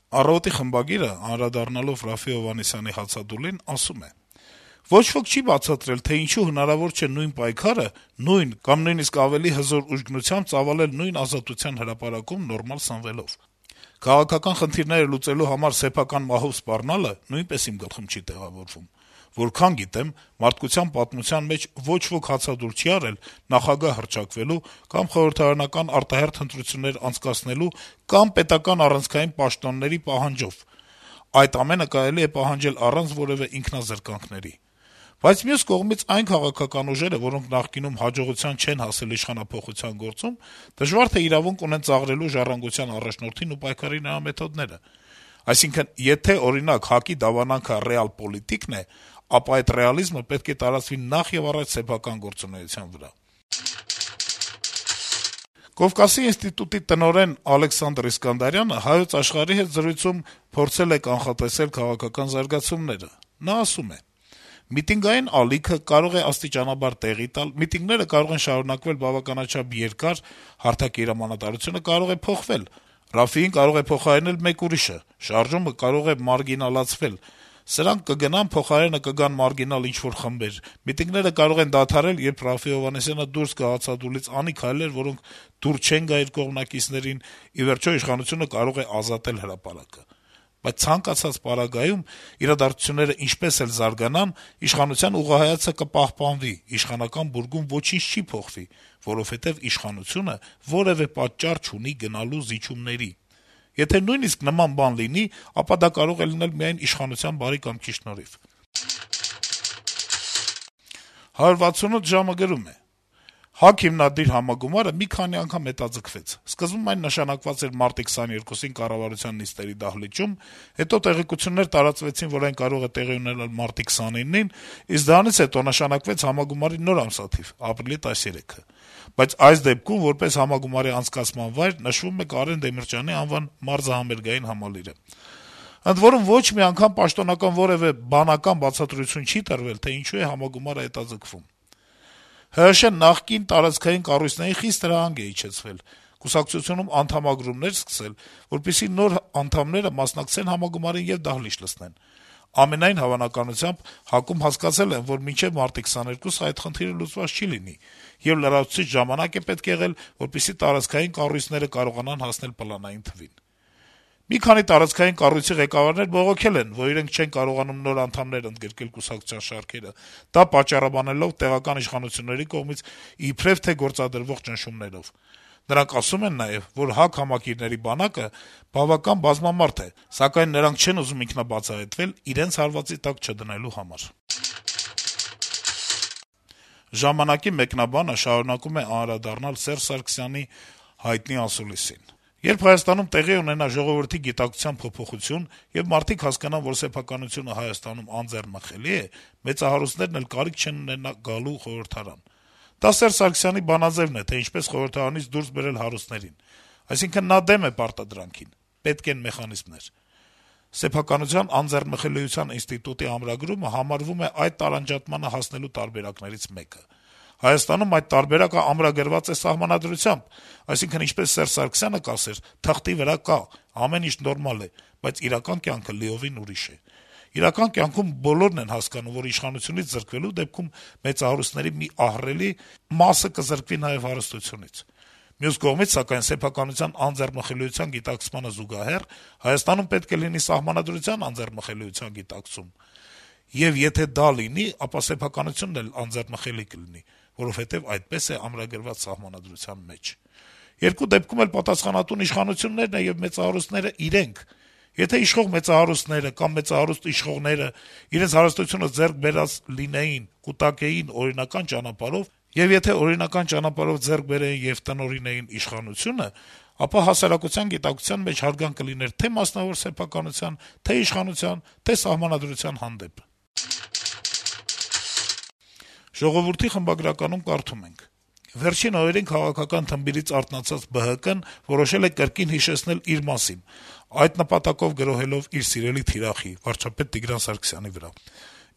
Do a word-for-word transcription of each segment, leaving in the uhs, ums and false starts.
Առավոտի խմբագիրը, անդրադառնալով Րաֆֆի Հովհաննիսյանի հացադուլին, ասում է. - «Ոչ ոք չի բացատրել, թե ինչու հնարավոր չէ նույն պայքարը, նույն կամ նույնիսկ ավելի հզոր ուժգնությամբ ծավալել նույն Ազատության հրապարակում նորմալ սնվելով: Քաղաքական խնդիրները լուծելու համար սեփական մահով սպառնալը նույնպես իմ գլխում չի տեղավորվում: Որքան գիտեմ, մարդկության պատմության մեջ ոչ ոք հացադուլ չի արել նախագահ հռչակվելու կամ խորհրդարանական արտահերթ ընտրություններ անցկացնելու կամ պետական առանցքային պաշտոնների պահանջով: Այդ ամենը կարելի է պահանջել առանց որեւէ ինքնազրկանքների: Բայց մյուս կողմից, այն քաղաքական ուժերը, որոնք նախկինում հաջողության չեն հասել իշխանափոխության գործում, դժվար թե իրավունք ունեն ծաղրելու «Ժառանգության» առաջնորդին ու պայքարի նրա մեթոդները: Այսինքն, եթե, օրինակ, ՀԱԿ-ի դավանանքը ռեալ-պոլիտիկն է, ապա այդ ռեալիզմը պետք է տարածվի նախ-եւ-առաջ սեփական գործունեության վրա»: Կովկասի ինստիտուտի տնօրեն Ալեքսանդր Իսկանդարյանը «Հայոց Աշխարհ»-ի հետ զրույցում փորձել է կանխատեսել քաղաքական զարգացումները: Նա ասում է. - «Միտինգային ալիքը կարող է աստիճանաբար տեղի տալ, միտինգները կարող են շարունակվել բավականաչափ երկար, հարթակի հրամանատարությունը կարող է փոխվել, Րաֆֆին կարող է փոխարինել մեկ ուրիշը, շարժումը կարող է մարգինալացվել, սրանք կգնան, փոխարենը կգան մարգինալ ինչ-որ խմբեր, միտինգները կարող են դադարել, երբ Րաֆֆի Հովհաննիսյանը դուրս գա հացադուլից, անի քայլեր, որոնք դուր չեն գա իր կողմնակիցներին, ի վերջո, իշխանությունը կարող է ազատել հրապարակը: Բայց ցանկացած պարագայում, իրադարձությունները ինչպես էլ զարգանան, իշխանության ուղղահայացքը կպահպանվի, իշխանական բուրգում ոչինչ չի փոխվի, որովհետեւ իշխանությունը որեւէ պատճառ չունի գնալու զիջումների: Եթե նույնիսկ նման բան լինի, ապա դա կարող է լինել միայն իշխանության բարի կամքի շնորհիվ»: «հարյուր վաթսունութ ժամ»-ը գրում է. - «ՀԱԿ հիմնադիր համագումարը մի քանի անգամ հետաձգվեց: Սկզբում այն նշանակված էր մարտի քսաներկուսին կառավարության նիստերի դահլիճում, հետո տեղեկություններ տարածվեցին, որ այն կարող է տեղի ունենալ մարտի քսանինին, իսկ դրանից հետո նշանակվեց համագումարի նոր ամսաթիվ՝ ապրիլի տասներեքը: Բայց այս դեպքում, որպես համագումարի անցկացման վայր, նշվում է Կարեն Դեմիրճյանի անվան մարզահամերգային համալիրը: Ընդ որում, ոչ մի անգամ պաշտոնական որեւէ բանական բացատրություն չի տրվել, թե ինչու է համագումարը հետաձգվում: ՀՀՇ-ն նախկին տարածքային կառույցներին խիստ հրահանգ է իջեցվել, կուսակցությունում անդամագրումներ սկսել, որպեսզի նոր անդամները մասնակցեն համագումարին եւ դահլիճ լցնեն: Ամենայն հավանականությամբ, ՀԱԿ-ում հասկացել են, որ մինչեւ մարտի քսաներկուսը այդ խնդիրը լուծված չի լինի, եւ լրացուցիչ ժամանակ է պետք եղել, որպեսզի տարածքային կառույցները կարողանան հասնել պլանային թվին: Մի քանի տարածքային կառույցի ղեկավարներ բողոքել են, որ իրենք չեն կարողանում նոր անդամներ ընդգրկել կուսակցության շարքերը, դա պատճառաբանելով տեղական իշխանությունների կողմից իբրեւ թե գործադրվող ճնշումներով: Նրանք ասում են նաեւ, որ ՀԱԿ համակիրների բանակը բավական բազմամարդ է, սակայն նրանք չեն ուզում ինքնաբացահայտվել՝ իրենց հարվածի տակ չդնելու համար»: «Ժամանակ»-ի մեկնաբանը շարունակում է անդրադառնալ Սերժ Սարգսյանի հայտնի ասուլիսին. - «Երբ Հայաստանում տեղի ունենա ժողովրդի գիտակցության փոփոխություն, եւ մարդիկ հասկանան, որ սեփականությունը Հայաստանում անձեռնմխելի է, մեծահարուստներն էլ կարիք չեն ունենա գալու խորհրդարան: Դա Սերժ Սարգսյանի բանաձեւն է, թե ինչպես խորհրդարանից դուրս բերել հարուստներին: Այսինքն` նա դեմ է պարտադրանքին: Պետք են մեխանիզմներ: Սեփականության անձեռնմխելիության ինստիտուտի ամրագրումը համարվում է այդ տարանջատմանը հասնելու տարբերակներից մեկը: Հայաստանում այդ տարբերակը ամրագրված է Սահմանադրությամբ, այսինքն` ինչպես Սերժ Սարգսյանը կասեր, թղթի վրա կա, ամեն ինչ նորմալ է, բայց իրական կյանքը լիովին ուրիշ է: Իրական կյանքում բոլորն են հասկանում, որ իշխանությունից զրկվելու դեպքում մեծահարուստների մի ահռելի մասը կզրկվի նաեւ հարստությունից: Մյուս կողմից, սակայն, սեփականության անձեռնմխելիության գիտակցմանը զուգահեռ Հայաստանում պետք է լինի Սահմանադրության անձեռնմխելիության գիտակցում: Եվ եթե դա լինի, ապա սեփականությունն էլ անձեռնմխելի կլինի, որովհետեւ այդպես է ամրագրված Սահմանադրության մեջ: Երկու դեպքում էլ պատասխանատուն իշխանություններն են եւ մեծահարուստները իրենք: Եթե իշխող մեծահարուստները կամ մեծահարուստ իշխողները իրենց հարստությունը ձեռք բերած լինեին, կուտակեին օրինական ճանապարհով, եւ եթե օրինական ճանապարհով ձեռք բերեին եւ տնօրինեին իշխանությունը, ապա հասարակության գիտակցության մեջ հարգանք կլիներ թե' մասնավոր սեփականության, թե' իշխանության, թե' Սահմանադրության հանդեպ»: «Ժողովուրդ»-ի խմբագրականում կարդում ենք. - «Վերջին օրերին քաղաքական թմբիրից արթնացած ԲՀԿ-ն որոշել է կրկին հիշեցնել իր մասին, այդ նպատակով գրոհելով իր սիրելի թիրախի` վարչապետ Տիգրան Սարգսյանի վրա: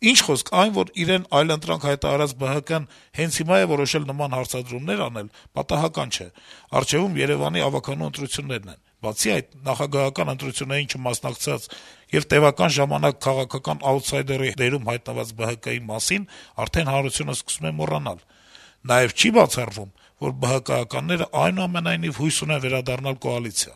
Ինչ խոսք, այն, որ իրեն այլընտրանք հայտարարած ԲՀԿ-ն հենց հիմա է որոշել նման հարցադրումներ անել, պատահական չէ: Առջեւում Երեւանի ավականու ընտրություններն են: Բացի այդ, նախագահական ընտրություններին չմասնակցած եւ տեւական ժամանակ քաղաքական աութսայդերի դերում հայտնված Բը Հը Կի մասին արդեն հանրությունը սկսում է մոռանալ: Նաեւ չի բացառվում, որ ԲՀԿ-ականները այնուամենայնիվ հույս ունեն վերադառնալ կոալիցիա: